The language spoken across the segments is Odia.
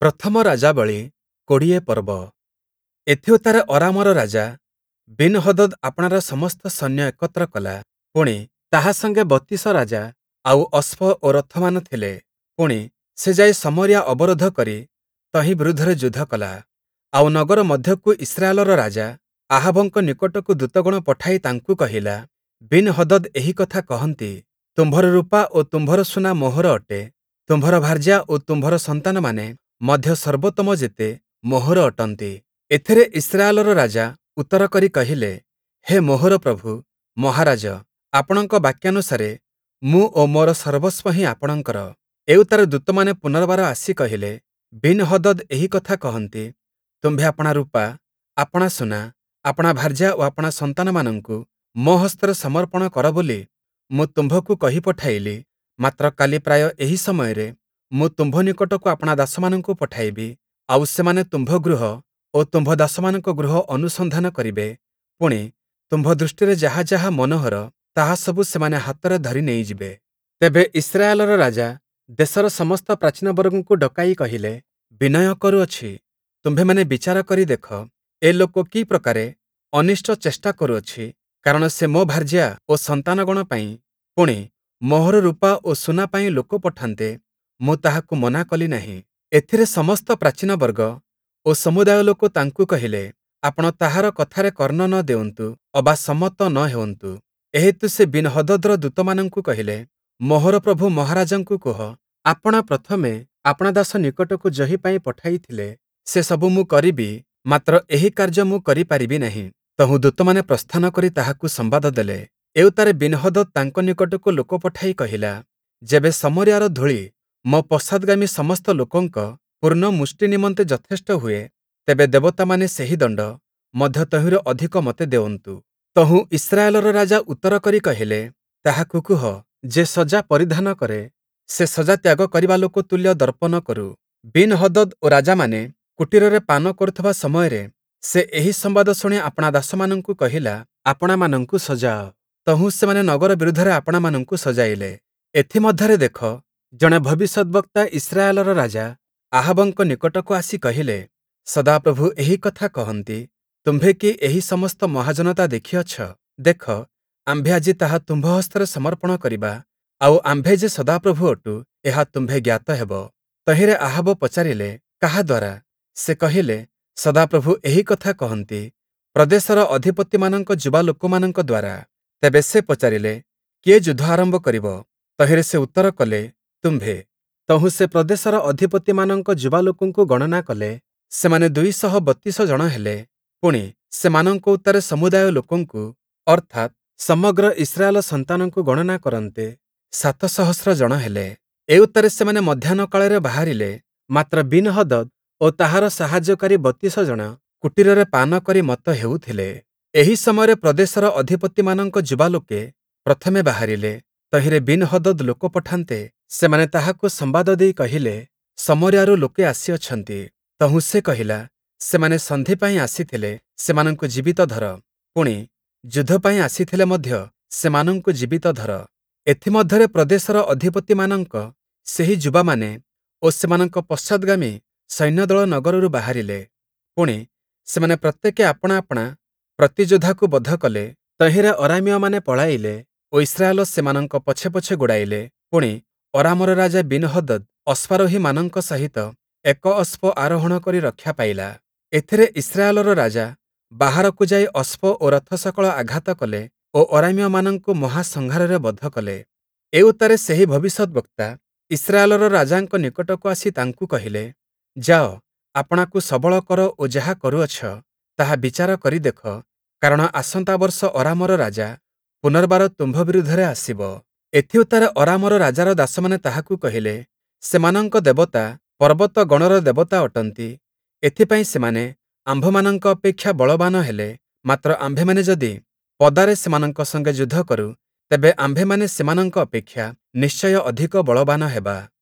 ପ୍ରଥମ ରାଜାବଳୀ ୨୦ ପର୍ବ। ଏଥିଉତ୍ତାରେ ଅରାମର ରାଜା ବିନ୍‌ହଦଦ୍ ଆପଣାର ସମସ୍ତ ସୈନ୍ୟ ଏକତ୍ର କଲା, ପୁଣି, ତାହା ସଙ୍ଗେ ୩୨ ରାଜା, ଆଉ ଅଶ୍ଵ ଓ ରଥମାନ ଥିଲେ। ପୁଣି, ସେ ଯାଇ ଶମରୀୟା ଅବରୋଧ କରି ତହିଁ ବିରୁଦ୍ଧରେ ଯୁଦ୍ଧ କଲା। ଆଉ ନଗର ମଧ୍ୟକୁ ଇସ୍ରାଏଲର ରାଜା ଆହାବଙ୍କ ନିକଟକୁ ଦୂତଗଣ ପଠାଇ ତାଙ୍କୁ କହିଲା, ବିନ୍‌ହଦଦ୍ ଏହି କଥା କହନ୍ତି, ତୁମ୍ଭର ରୂପା ଓ ତୁମ୍ଭର ସୁନା ମୋହର ଅଟେ, ତୁମ୍ଭର ଭାର୍ଯ୍ୟା ଓ ତୁମ୍ଭର ସନ୍ତାନମାନେ ମଧ୍ୟ ସର୍ବୋତ୍ତମ ଯେତେ, ମୋହର ଅଟନ୍ତି। ଏଥିରେ ଇସ୍ରାଏଲର ରାଜା ଉତ୍ତର କରି କହିଲେ, ହେ ମୋହର ପ୍ରଭୁ, ମହାରାଜ, ଆପଣଙ୍କ ବାକ୍ୟାନୁସାରେ ମୁଁ ଓ ମୋର ସର୍ବସ୍ଵ ହିଁ ଆପଣଙ୍କର। ଏଉତ୍ତାରେ ଦୂତମାନେ ପୁନର୍ବାର ଆସି କହିଲେ, ବିନ୍‌ହଦଦ୍ ଏହି କଥା କହନ୍ତି, ତୁମ୍ଭେ ଆପଣା ରୂପା, ଆପଣା ସୁନା, ଆପଣା ଭାର୍ଯ୍ୟା ଓ ଆପଣା ସନ୍ତାନମାନଙ୍କୁ ମୋ ହସ୍ତରେ ସମର୍ପଣ କର ବୋଲି ମୁଁ ତୁମ୍ଭକୁ କହି ପଠାଇଲି, ମାତ୍ର କାଲି ପ୍ରାୟ ଏହି ସମୟରେ ମୁଁ ତୁମ୍ଭ ନିକଟକୁ ଆପଣା ଦାସମାନଙ୍କୁ ପଠାଇବି, ଆଉ ସେମାନେ ତୁମ୍ଭ ଗୃହ ଓ ତୁମ୍ଭ ଦାସମାନଙ୍କ ଗୃହ ଅନୁସନ୍ଧାନ କରିବେ, ପୁଣି, ତୁମ୍ଭ ଦୃଷ୍ଟିରେ ଯାହା ଯାହା ମନୋହର, ତାହା ସବୁ ସେମାନେ ହାତରେ ଧରି ନେଇଯିବେ। ତେବେ ଇସ୍ରାଏଲର ରାଜା ଦେଶର ସମସ୍ତ ପ୍ରାଚୀନବର୍ଗଙ୍କୁ ଡକାଇ କହିଲେ, ବିନୟ କରୁଅଛି, ତୁମ୍ଭେମାନେ ବିଚାର କରି ଦେଖ, ଏ ଲୋକ କି ପ୍ରକାରେ ଅନିଷ୍ଟ ଚେଷ୍ଟା କରୁଅଛି, କାରଣ ସେ ମୋ ଭାର୍ଯ୍ୟା ଓ ସନ୍ତାନଗଣ ପାଇଁ, ପୁଣି, ମୋହର ରୂପା ଓ ସୁନା ପାଇଁ ଲୋକ ପଠାନ୍ତେ, ମୁଁ ତାହାକୁ ମନା କଲି ନାହିଁ। ଏଥିରେ ସମସ୍ତ ପ୍ରାଚୀନବର୍ଗ ଓ ସମୁଦାୟ ଲୋକ ତାଙ୍କୁ କହିଲେ, ଆପଣ ତାହାର କଥାରେ କର୍ଣ୍ଣ ନ ଦେଉନ୍ତୁ ଅବା ସମ୍ମତ ନ ହେଉନ୍ତୁ। ଏହେତୁ ସେ ବିନ୍‌ହଦଦ୍‌ର ଦୂତମାନଙ୍କୁ କହିଲେ, ମୋହର ପ୍ରଭୁ ମହାରାଜାଙ୍କୁ କୁହ, ଆପଣ ପ୍ରଥମେ ଆପଣା ଦାସ ନିକଟକୁ ଯହିଁ ପାଇଁ ପଠାଇଥିଲେ, ସେ ସବୁ ମୁଁ କରିବି, ମାତ୍ର ଏହି କାର୍ଯ୍ୟ ମୁଁ କରି ପାରିବି ନାହିଁ। ତହୁଁ ଦୂତମାନେ ପ୍ରସ୍ଥାନ କରି ତାହାକୁ ସମ୍ବାଦ ଦେଲେ। ଏଉତ୍ତାରେ ବିନ୍‌ହଦଦ୍ ତାଙ୍କ ନିକଟକୁ ଲୋକ ପଠାଇ କହିଲା, ଯେବେ ଶମରୀୟାର ଧୂଳି ମୋ ପଶ୍ଚାଦ୍‌ଗାମୀ ସମସ୍ତ ଲୋକଙ୍କ ପୂର୍ଣ୍ଣ ମୁଷ୍ଟି ନିମନ୍ତେ ଯଥେଷ୍ଟ ହୁଏ, ତେବେ ଦେବତାମାନେ ସେହି ଦଣ୍ଡ, ମଧ୍ୟ ତହିଁରୁ ଅଧିକ ମୋତେ ଦେଉନ୍ତୁ। ତହୁଁ ଇସ୍ରାଏଲର ରାଜା ଉତ୍ତର କରି କହିଲେ, ତାହାକୁ କୁହ, ଯେ ସଜା ପରିଧାନ କରେ, ସେ ସଜା ତ୍ୟାଗ କରିବା ଲୋକ ତୁଲ୍ୟ ଦର୍ପ ନ କରୁ। ବିନ୍‌ହଦଦ୍ ଓ ରାଜାମାନେ କୁଟୀରରେ ପାନ କରୁଥିବା ସମୟରେ ସେ ଏହି ସମ୍ବାଦ ଶୁଣି ଆପଣା ଦାସମାନଙ୍କୁ କହିଲା, ଆପଣାମାନଙ୍କୁ ସଜାଅ। ତହୁଁ ସେମାନେ ନଗର ବିରୁଦ୍ଧରେ ଆପଣାମାନଙ୍କୁ ସଜାଇଲେ। ଏଥିମଧ୍ୟରେ ଦେଖ, ଜଣେ ଭବିଷ୍ୟଦ୍‌ବକ୍ତା ଇସ୍ରାଏଲର ରାଜା ଆହାବଙ୍କ ନିକଟକୁ ଆସି କହିଲେ, ସଦାପ୍ରଭୁ ଏହି କଥା କହନ୍ତି, ତୁମ୍ଭେ କି ଏହି ସମସ୍ତ ମହାଜନତା ଦେଖିଅଛ? ଦେଖ, ଆମ୍ଭେ ଆଜି ତାହା ତୁମ୍ଭ ହସ୍ତରେ ସମର୍ପଣ କରିବା, ଆଉ ଆମ୍ଭେ ଯେ ସଦାପ୍ରଭୁ ଅଟୁ, ଏହା ତୁମ୍ଭେ ଜ୍ଞାତ ହେବ। ତହିଁରେ ଆହାବ ପଚାରିଲେ, କାହା ଦ୍ୱାରା? ସେ କହିଲେ, ସଦାପ୍ରଭୁ ଏହି କଥା କହନ୍ତି, ପ୍ରଦେଶର ଅଧିପତିମାନଙ୍କ ଯୁବା ଲୋକମାନଙ୍କ ଦ୍ୱାରା। ତେବେ ସେ ପଚାରିଲେ, କିଏ ଯୁଦ୍ଧ ଆରମ୍ଭ କରିବ? ତହିଁରେ ସେ ଉତ୍ତର କଲେ, ତୁମ୍ଭେ। ତହୁଁ ସେ ପ୍ରଦେଶର ଅଧିପତିମାନଙ୍କ ଯୁବା ଲୋକଙ୍କୁ ଗଣନା କଲେ, ସେମାନେ ୨୩୨ ଜଣ ହେଲେ। ପୁଣି, ସେମାନଙ୍କ ଉତ୍ତାରେ ସମୁଦାୟ ଲୋକଙ୍କୁ, ଅର୍ଥାତ୍, ସମଗ୍ର ଇସ୍ରାଏଲ ସନ୍ତାନଙ୍କୁ ଗଣନା କରନ୍ତେ, ୭ ସହସ୍ର ଜଣ ହେଲେ। ଏଉତ୍ତାରେ ସେମାନେ ମଧ୍ୟାହ୍ନ କାଳରେ ବାହାରିଲେ, ମାତ୍ର ବିନ୍‌ହଦଦ୍ ଓ ତାହାର ସାହାଯ୍ୟକାରୀ ୩୨ ଜଣ କୁଟୀରରେ ପାନ କରି ମତ୍ତ ହେଉଥିଲେ। ଏହି ସମୟରେ ପ୍ରଦେଶର ଅଧିପତିମାନଙ୍କ ଯୁବାଲୋକେ ପ୍ରଥମେ ବାହାରିଲେ। ତହିଁରେ ବିନ୍‌ହଦଦ୍ ଲୋକ ପଠାନ୍ତେ, ସେମାନେ ତାହାକୁ ସମ୍ବାଦ ଦେଇ କହିଲେ, ଶମରୀୟାରୁ ଲୋକେ ଆସିଅଛନ୍ତି। ତହୁଁ ସେ କହିଲା, ସେମାନେ ସନ୍ଧି ପାଇଁ ଆସିଥିଲେ, ସେମାନଙ୍କୁ ଜୀବିତ ଧର, ପୁଣି, ଯୁଦ୍ଧ ପାଇଁ ଆସିଥିଲେ ମଧ୍ୟ ସେମାନଙ୍କୁ ଜୀବିତ ଧର। ଏଥିମଧ୍ୟରେ ପ୍ରଦେଶର ଅଧିପତିମାନଙ୍କ ସେହି ଯୁବାମାନେ ଓ ସେମାନଙ୍କ ପଶ୍ଚାଦ୍‌ଗାମୀ ସୈନ୍ୟଦଳ ନଗରରୁ ବାହାରିଲେ। ପୁଣି, ସେମାନେ ପ୍ରତ୍ୟେକେ ଆପଣା ଆପଣା ପ୍ରତିଯୋଦ୍ଧାକୁ ବଧ କଲେ। ତହିଁରେ ଅରାମୀୟମାନେ ପଳାଇଲେ ଓ ଇସ୍ରାଏଲ ସେମାନଙ୍କ ପଛେ ପଛେ ଗୋଡ଼ାଇଲେ। ପୁଣି, ଅରାମର ରାଜା ବିନ୍‌ହଦଦ୍ ଅଶ୍ୱାରୋହୀମାନଙ୍କ ସହିତ ଏକ ଅଶ୍ଵ ଆରୋହଣ କରି ରକ୍ଷା ପାଇଲା। ଏଥିରେ ଇସ୍ରାଏଲର ରାଜା ବାହାରକୁ ଯାଇ ଅଶ୍ଵ ଓ ରଥ ସକଳ ଆଘାତ କଲେ ଓ ଅରାମୀୟମାନଙ୍କୁ ମହାସଂହାରରେ ବଧ କଲେ। ଏଉତ୍ତାରେ ସେହି ଭବିଷ୍ୟଦ୍‌ବକ୍ତା ଇସ୍ରାଏଲର ରାଜାଙ୍କ ନିକଟକୁ ଆସି ତାଙ୍କୁ କହିଲେ, ଯାଅ, ଆପଣାକୁ ସବଳ କର ଓ ଯାହା କରୁଅଛ, ତାହା ବିଚାର କରି ଦେଖ, କାରଣ ଆସନ୍ତା ବର୍ଷ ଅରାମର ରାଜା ପୁନର୍ବାର ତୁମ୍ଭ ବିରୁଦ୍ଧରେ ଆସିବ। ଏଥିଉତ୍ତାରେ ଅରାମର ରାଜାର ଦାସମାନେ ତାହାକୁ କହିଲେ, ସେମାନଙ୍କ ଦେବତା ପର୍ବତଗଣର ଦେବତା ଅଟନ୍ତି, ଏଥିପାଇଁ ସେମାନେ ଆମ୍ଭମାନଙ୍କ ଅପେକ୍ଷା ବଳବାନ ହେଲେ, ମାତ୍ର ଆମ୍ଭେମାନେ ଯଦି ପଦାରେ ସେମାନଙ୍କ ସଙ୍ଗେ ଯୁଦ୍ଧ କରୁ, ତେବେ ଆମ୍ଭେମାନେ ସେମାନଙ୍କ ଅପେକ୍ଷା ନିଶ୍ଚୟ ଅଧିକ ବଳବାନ ହେବା।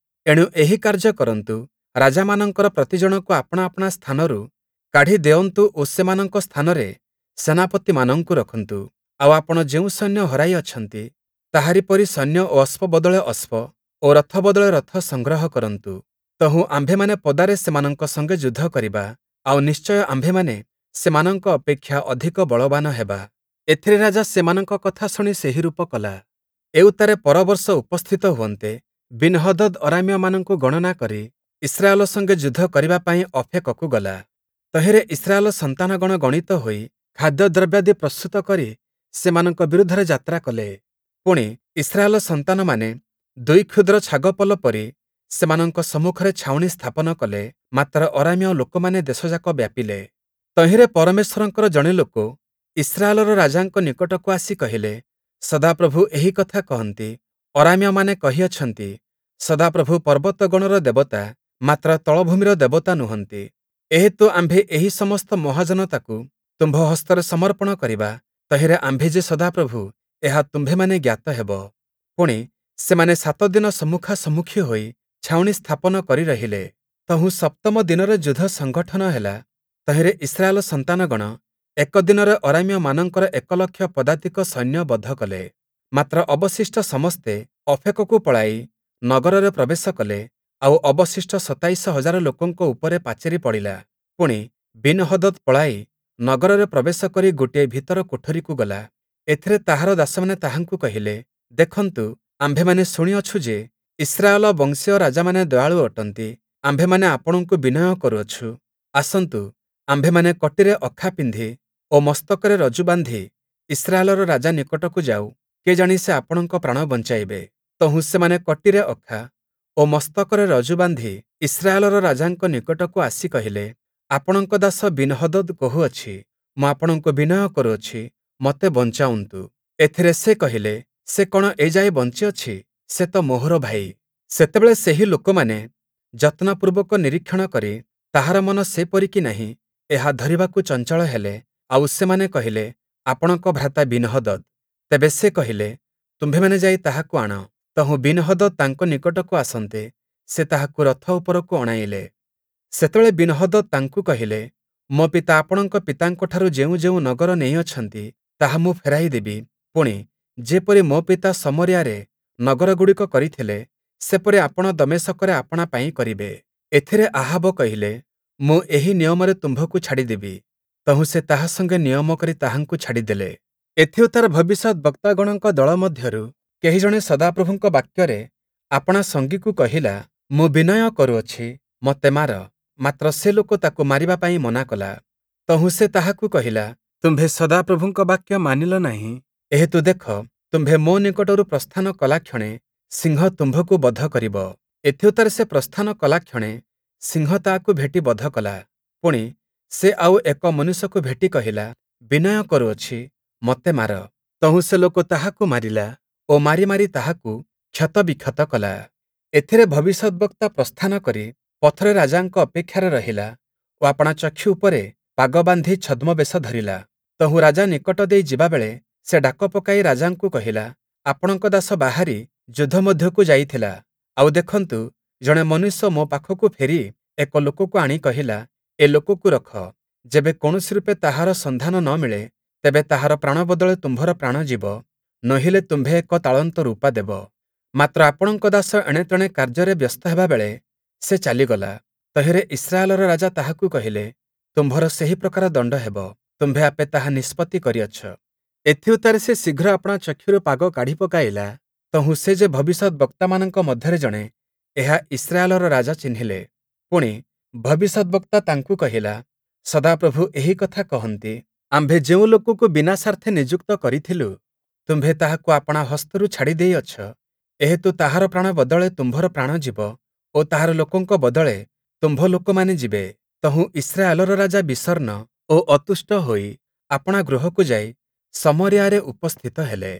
ଏଣୁ ଏହି କାର୍ଯ୍ୟ କରନ୍ତୁ, ରାଜାମାନଙ୍କର ପ୍ରତିଜଣକୁ ଆପଣା ଆପଣା ସ୍ଥାନରୁ କାଢ଼ି ଦେଉନ୍ତୁ ଓ ସେମାନଙ୍କ ସ୍ଥାନରେ ସେନାପତିମାନଙ୍କୁ ରଖନ୍ତୁ। ଆଉ ଆପଣ ଯେଉଁ ସୈନ୍ୟ ହରାଇ ଅଛନ୍ତି, ତାହାରି ପରି ସୈନ୍ୟ ଓ ଅଶ୍ଵ ବଦଳେ ଅଶ୍ଵ ଓ ରଥ ବଦଳେ ରଥ ସଂଗ୍ରହ କରନ୍ତୁ। ତହୁଁ ଆମ୍ଭେମାନେ ପଦାରେ ସେମାନଙ୍କ ସଙ୍ଗେ ଯୁଦ୍ଧ କରିବା, ଆଉ ନିଶ୍ଚୟ ଆମ୍ଭେମାନେ ସେମାନଙ୍କ ଅପେକ୍ଷା ଅଧିକ ବଳବାନ ହେବା। ଏଥିରେ ରାଜା ସେମାନଙ୍କ କଥା ଶୁଣି ସେହିରୂପ କଲା। ଏଉତ୍ତାରେ ପରବର୍ଷ ଉପସ୍ଥିତ ହୁଅନ୍ତେ, ବିନ୍‌ହଦଦ୍ ଅରାମୀୟମାନଙ୍କୁ ଗଣନା କରି ଇସ୍ରାଏଲ ସଙ୍ଗେ ଯୁଦ୍ଧ କରିବା ପାଇଁ ଅଫେକକୁ ଗଲା। ତହିଁରେ ଇସ୍ରାଏଲ ସନ୍ତାନଗଣ ଗଣିତ ହୋଇ ଖାଦ୍ୟଦ୍ରବ୍ୟାଦି ପ୍ରସ୍ତୁତ କରି ସେମାନଙ୍କ ବିରୁଦ୍ଧରେ ଯାତ୍ରା କଲେ। ପୁଣି, ଇସ୍ରାଏଲ ସନ୍ତାନମାନେ ଦୁଇ କ୍ଷୁଦ୍ର ଛାଗପଲ ପରି ସେମାନଙ୍କ ସମ୍ମୁଖରେ ଛାଉଣି ସ୍ଥାପନ କଲେ, ମାତ୍ର ଅରାମୀୟ ଲୋକମାନେ ଦେଶଯାକ ବ୍ୟାପିଲେ। ତହିଁରେ ପରମେଶ୍ୱରଙ୍କର ଜଣେ ଲୋକ ଇସ୍ରାଏଲର ରାଜାଙ୍କ ନିକଟକୁ ଆସି କହିଲେ, ସଦାପ୍ରଭୁ ଏହି କଥା କହନ୍ତି, ଅରାମୀୟମାନେ କହିଅଛନ୍ତି, ସଦାପ୍ରଭୁ ପର୍ବତଗଣର ଦେବତା, ମାତ୍ର ତଳଭୂମିର ଦେବତା ନୁହନ୍ତି। ଏହେତୁ ଆମ୍ଭେ ଏହି ସମସ୍ତ ମହାଜନତାକୁ ତୁମ୍ଭ ହସ୍ତରେ ସମର୍ପଣ କରିବା, ତହିଁରେ ଆମ୍ଭେ ଯେ ସଦାପ୍ରଭୁ, ଏହା ତୁମ୍ଭେମାନେ ଜ୍ଞାତ ହେବ। ପୁଣି, ସେମାନେ ସାତ ଦିନ ସମ୍ମୁଖାସମ୍ମୁଖୀ ହୋଇ ଛାଉଣି ସ୍ଥାପନ କରି ରହିଲେ। ତହୁଁ ସପ୍ତମ ଦିନରେ ଯୁଦ୍ଧ ସଂଗଠନ ହେଲା। ତହିଁରେ ଇସ୍ରାଏଲ ସନ୍ତାନଗଣ ଏକ ଦିନରେ ଅରାମୀୟମାନଙ୍କର 1,00,000 ପଦାତିକ ସୈନ୍ୟ ବଧ କଲେ। ମାତ୍ର ଅବଶିଷ୍ଟ ସମସ୍ତେ ଅଫେକକୁ ପଳାଇ ନଗରରେ ପ୍ରବେଶ କଲେ, ଆଉ ଅବଶିଷ୍ଟ 27,000 ଲୋକଙ୍କ ଉପରେ ପାଚେରି ପଡ଼ିଲା। ପୁଣି, ବିନ୍‌ହଦଦ୍ ପଳାଇ ନଗରରେ ପ୍ରବେଶ କରି ଗୋଟିଏ ଭିତର କୋଠରିକୁ ଗଲା। ଏଥିରେ ତାହାର ଦାସମାନେ ତାହାଙ୍କୁ କହିଲେ, ଦେଖନ୍ତୁ, ଆମ୍ଭେମାନେ ଶୁଣିଅଛୁ ଯେ, ଇସ୍ରାଏଲ ବଂଶୀୟ ରାଜାମାନେ ଦୟାଳୁ ଅଟନ୍ତି। ଆମ୍ଭେମାନେ ଆପଣଙ୍କୁ ବିନୟ କରୁଅଛୁ, ଆସନ୍ତୁ, ଆମ୍ଭେମାନେ କଟିରେ ଅଖା ପିନ୍ଧି ଓ ମସ୍ତକରେ ରଜୁ ବାନ୍ଧି ଇସ୍ରାଏଲର ରାଜା ନିକଟକୁ ଯାଉ, କେଜାଣି ସେ ଆପଣଙ୍କ ପ୍ରାଣ ବଞ୍ଚାଇବେ। ତହୁଁ ସେମାନେ କଟିରେ ଅଖା ଓ ମସ୍ତକରେ ରଜୁ ବାନ୍ଧି ଇସ୍ରାଏଲର ରାଜାଙ୍କ ନିକଟକୁ ଆସି କହିଲେ, ଆପଣଙ୍କ ଦାସ ବିନ୍‌ହଦଦ୍ କହୁଅଛି, ମୁଁ ଆପଣଙ୍କୁ ବିନୟ କରୁଅଛି, ମୋତେ ବଞ୍ଚାଉନ୍ତୁ। ଏଥିରେ ସେ କହିଲେ, ସେ କଣ ଏ ଯାଏ ବଞ୍ଚିଅଛି? ସେ ତ ମୋହର ଭାଇ। ସେତେବେଳେ ସେହି ଲୋକମାନେ ଯତ୍ନପୂର୍ବକ ନିରୀକ୍ଷଣ କରି ତାହାର ମନ ସେପରି କି ନାହିଁ, ଏହା ଧରିବାକୁ ଚଞ୍ଚଳ ହେଲେ। ଆଉ ସେମାନେ କହିଲେ, ଆପଣଙ୍କ ଭ୍ରାତା ବିନ୍‌ହଦଦ୍। ତେବେ ସେ କହିଲେ, ତୁମ୍ଭେମାନେ ଯାଇ ତାହାକୁ ଆଣ। ତହୁଁ ବିନ୍‌ହଦଦ୍ ତାଙ୍କ ନିକଟକୁ ଆସନ୍ତେ, ସେ ତାହାକୁ ରଥ ଉପରକୁ ଅଣାଇଲେ। ସେତେବେଳେ ବିନ୍‌ହଦଦ୍ ତାଙ୍କୁ କହିଲେ, ମୋ ପିତା ଆପଣଙ୍କ ପିତାଙ୍କଠାରୁ ଯେଉଁ ଯେଉଁ ନଗର ନେଇଅଛନ୍ତି, ତାହା ମୁଁ ଫେରାଇ ଦେବି। ପୁଣି, ଯେପରି ମୋ ପିତା ଶମରୀୟାରେ ନଗରଗୁଡ଼ିକ କରିଥିଲେ, ସେପରି ଆପଣ ଦମେଶକରେ ଆପଣା ପାଇଁ କରିବେ। ଏଥିରେ ଆହାବ କହିଲେ, ମୁଁ ଏହି ନିୟମରେ ତୁମ୍ଭକୁ ଛାଡ଼ିଦେବି। ତହୁଁ ସେ ତାହା ସଙ୍ଗେ ନିୟମ କରି ତାହାଙ୍କୁ ଛାଡ଼ିଦେଲେ। ଏଥିଉତ୍ତାରେ ଭବିଷ୍ୟଦ୍‌ବକ୍ତାଗଣଙ୍କ ଦଳ ମଧ୍ୟରୁ କେହି ଜଣେ ସଦାପ୍ରଭୁଙ୍କ ବାକ୍ୟରେ ଆପଣା ସଙ୍ଗୀକୁ କହିଲା, ମୁଁ ବିନୟ କରୁଅଛି, ମୋତେ ମାର। ମାତ୍ର ସେ ଲୋକ ତାକୁ ମାରିବା ପାଇଁ ମନା କଲା। ତହୁଁ ସେ ତାହାକୁ କହିଲା, ତୁମ୍ଭେ ସଦାପ୍ରଭୁଙ୍କ ବାକ୍ୟ ମାନିଲ ନାହିଁ, ଏହେତୁ ଦେଖ, ତୁମ୍ଭେ ମୋ ନିକଟରୁ ପ୍ରସ୍ଥାନ କଲାକ୍ଷଣେ ସିଂହ ତୁମ୍ଭକୁ ବଧ କରିବ। ଏଥିଉତ୍ତାରେ ସେ ପ୍ରସ୍ଥାନ କଲାକ୍ଷଣେ ସିଂହ ତାହାକୁ ଭେଟି ବଧ କଲା। ପୁଣି, ସେ ଆଉ ଏକ ମନୁଷ୍ୟକୁ ଭେଟି କହିଲା, ବିନୟ କରୁଅଛି, ମୋତେ ମାର। ତହୁଁ ସେ ଲୋକ ତାହାକୁ ମାରିଲା ଓ ମାରି ମାରି ତାହାକୁ କ୍ଷତବିକ୍ଷତ କଲା। ଏଥିରେ ଭବିଷ୍ୟଦ୍‌ବକ୍ତା ପ୍ରସ୍ଥାନ କରି ପଥରେ ରାଜାଙ୍କ ଅପେକ୍ଷାରେ ରହିଲା ଓ ଆପଣା ଚକ୍ଷୁ ଉପରେ ପାଗ ବାନ୍ଧି ଛଦ୍ମବେଶ ଧରିଲା। ତହୁଁ ରାଜା ନିକଟ ଦେଇ ଯିବାବେଳେ ସେ ଡାକ ପକାଇ ରାଜାଙ୍କୁ କହିଲା, ଆପଣଙ୍କ ଦାସ ବାହାରି ଯୁଦ୍ଧ ମଧ୍ୟକୁ ଯାଇଥିଲା, ଆଉ ଦେଖନ୍ତୁ, ଜଣେ ମନୁଷ୍ୟ ମୋ ପାଖକୁ ଫେରି ଏକ ଲୋକକୁ ଆଣି କହିଲା, ଏ ଲୋକକୁ ରଖ, ଯେବେ କୌଣସି ରୂପେ ତାହାର ସନ୍ଧାନ ନ ମିଳେ, ତେବେ ତାହାର ପ୍ରାଣ ବଦଳେ ତୁମ୍ଭର ପ୍ରାଣ ଯିବ, ନୋହିଲେ ତୁମ୍ଭେ ଏକ ତାଳନ୍ତ ରୂପା ଦେବ। ମାତ୍ର ଆପଣଙ୍କ ଦାସ ଏଣେତେଣେ କାର୍ଯ୍ୟରେ ବ୍ୟସ୍ତ ହେବାବେଳେ ସେ ଚାଲିଗଲା। ତହିଁରେ ଇସ୍ରାଏଲର ରାଜା ତାହାକୁ କହିଲେ, ତୁମ୍ଭର ସେହି ପ୍ରକାର ଦଣ୍ଡ ହେବ, ତୁମ୍ଭେ ଆପେ ତାହା ନିଷ୍ପତ୍ତି କରିଅଛ। ଏଥିଉତ୍ତାରେ ସେ ଶୀଘ୍ର ଆପଣା ଚକ୍ଷୁରୁ ପାଗ କାଢ଼ି ପକାଇଲା, ତହୁଁ ସେ ଯେ ଭବିଷ୍ୟଦ୍‌ବକ୍ତାମାନଙ୍କ ମଧ୍ୟରେ ଜଣେ, ଏହା ଇସ୍ରାଏଲର ରାଜା ଚିହ୍ନିଲେ। ପୁଣି, ଭବିଷ୍ୟଦ୍‌ବକ୍ତା ତାଙ୍କୁ କହିଲା, ସଦାପ୍ରଭୁ ଏହି କଥା କହନ୍ତି, ଆମ୍ଭେ ଯେଉଁ ଲୋକକୁ ବିନାଶାର୍ଥେ ନିଯୁକ୍ତ କରିଥିଲୁ, ତୁମ୍ଭେ ତାହାକୁ ଆପଣା ହସ୍ତରୁ ଛାଡ଼ି ଦେଇଅଛ, ଏହେତୁ ତାହାର ପ୍ରାଣ ବଦଳେ ତୁମ୍ଭର ପ୍ରାଣ ଯିବ ଓ ତାହାର ଲୋକଙ୍କ ବଦଳେ ତୁମ୍ଭ ଲୋକମାନେ ଯିବେ। ତହୁଁ ଇସ୍ରାଏଲର ରାଜା ବିଷଣ୍ଣ ଓ ଅତୁଷ୍ଟ ହୋଇ ଆପଣା ଗୃହକୁ ଯାଇ ଶମରୀୟାରେ ଉପସ୍ଥିତ ହେଲେ।